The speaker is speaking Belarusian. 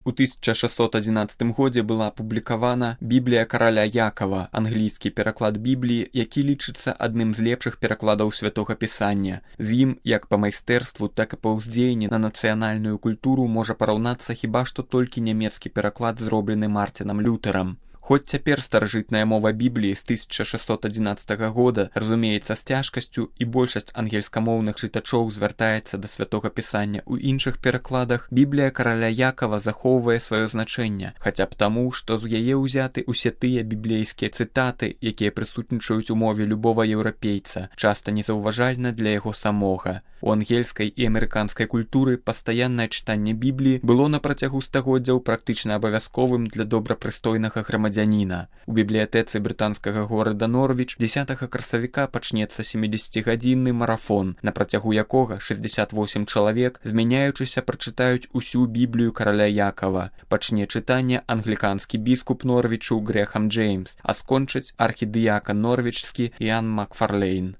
У 1611 годзе была апублікавана Біблія караля Якава, англійскі пераклад Бібліі, які лічыцца адным з лепшых перакладаў святога пісання. З ім, як па майстэрству, так і па ўздзеянні на нацыянальную культуру можа параўнацца хіба што толькі нямецкі пераклад, зроблены Мартинам Лютэрам. Хоць цяпер старажытная мова Бібліі з 1611 года разумеецца з цяжкасцю і большасць ангельскамоўных чытачоў звяртаецца да святога пісання ў іншых перакладах, Біблія караля Якава захоўвае сваё значэнне, хаця б таму, што з яе ўзяты ўсе тыя біблейскія цытаты, якія прысутнічаюць у мове любога еўрапейца, часта незаўважальна для яго самога. У ангельскай і амерыканскай культуры пастаяннае чытанне Бібліі было на працягу стагоддзяў практычна абавязковым для добрапрыстойнага грамадзяніна. У бібліятэцы брытанскага горада Норвіч 10 красавіка пачнецца 70-гадзінны марафон, на працягу якога 68 чалавек, змяняючыся, прачытаюць усю Біблію караля Якава. Пачне чытанне англіканскі біскуп Норвічу Грэхам Джеймс, а скончыць архідыякан норвічскі Іан Макфарлейн.